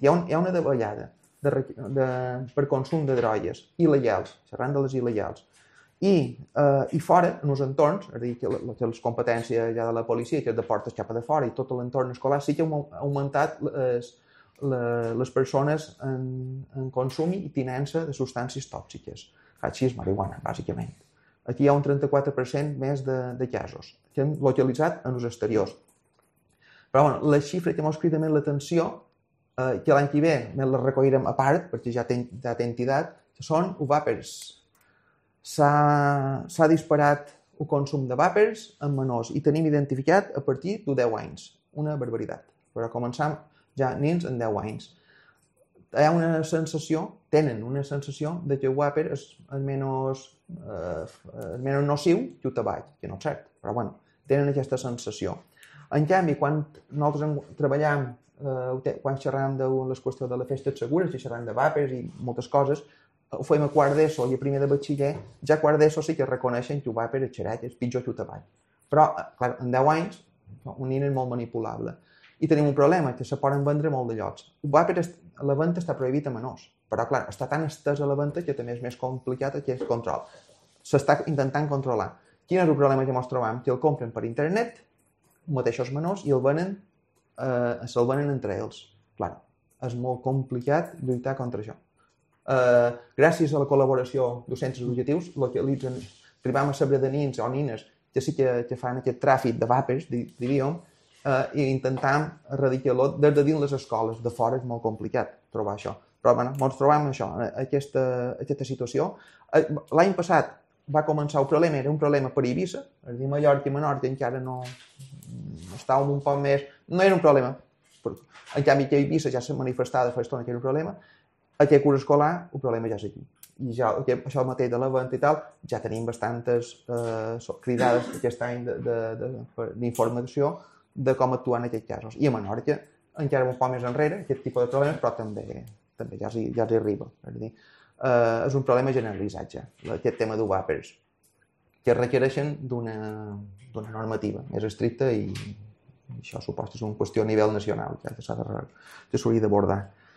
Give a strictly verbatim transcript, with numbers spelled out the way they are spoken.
Hi ha, un, hi ha una davallada de, de, per consum de drogues il·legals, xerrant de les il·legals, i, eh, i fora, en els entorns, és a dir, que, que les competències ja de la policia, que és de portes cap a de fora, i tot l'entorn escolar, sí que ha augmentat les, les persones en, en consum i tinença de substàncies tòxiques. Hachís, marihuana, bàsicament. Aquí hi ha un trenta-quatre per cent més de, de casos, que hem localitzat en els exteriors. Però bueno, la xifra que ens crida més l'atenció, eh, que l'any que ve més la recollirem a part, perquè ja té, ja té entitat, que són els vàpers. S'ha disparat el consum de vàpers en menors i tenim identificat a partir de deu anys. Una barbaritat. Però començam ja nens en deu anys. Hi ha una sensació, tenen una sensació de que el vàper és el menys, eh, el menys nociu que el tabac, que no és cert, però bueno, tenen aquesta sensació. En canvi, quan nosaltres treballem, eh, quan xerram de les qüestions de les festes segures, i xerram de vàpers i moltes coses, ho fem a quart d'ESO i a primer de batxiller, ja a quart d'ESO sí que reconeixen que el vàper és xerec, és pitjor que el tabac. Però, clar, en deu anys, un nen és molt manipulable. I tenim un problema, que se poden vendre molt de llocs. El vàper, la venda està prohibit a menors, però clar, està tan estès a la venda que també és més complicat aquest control. S'està intentant controlar. Quin és el problema que ens trobem? Que el compren per internet, mateixos menors, i el venen, eh, se'l venen entre ells. Clar, és molt complicat lluitar contra això. Eh, gràcies a la col·laboració dels centres educatius, localitzen, trobam a saber de nins o nines que sí que, que fan aquest tràfic de vàpers, diríem, Uh, i intentam erradicar-lo des de dins les escoles. De fora és molt complicat trobar això. Però bueno, ens trobem això, aquesta, aquesta situació. Uh, L'any passat va començar el problema, era un problema per Eivissa, és a dir, Mallorca i Menorca encara no estàvem un poc més... No era un problema. En canvi, que Eivissa ja s'ha manifestat de fa estona que era un problema. Aquest curs escolar, el problema ja és aquí. I ja, això mateix de la venda i tal, ja tenim bastantes uh, cridades aquest any d'informació de com actuar en aquests casos. I a Menorca encara un poc més enrere, aquest tipus de problemes, però també, també ja s'hi ja arriba. És a dir, eh, és un problema generalitzat ja, aquest tema dels vàpers, que requereixen d'una normativa més estricta i això suposa que és una qüestió a nivell nacional, ja que s'ha d'abordar.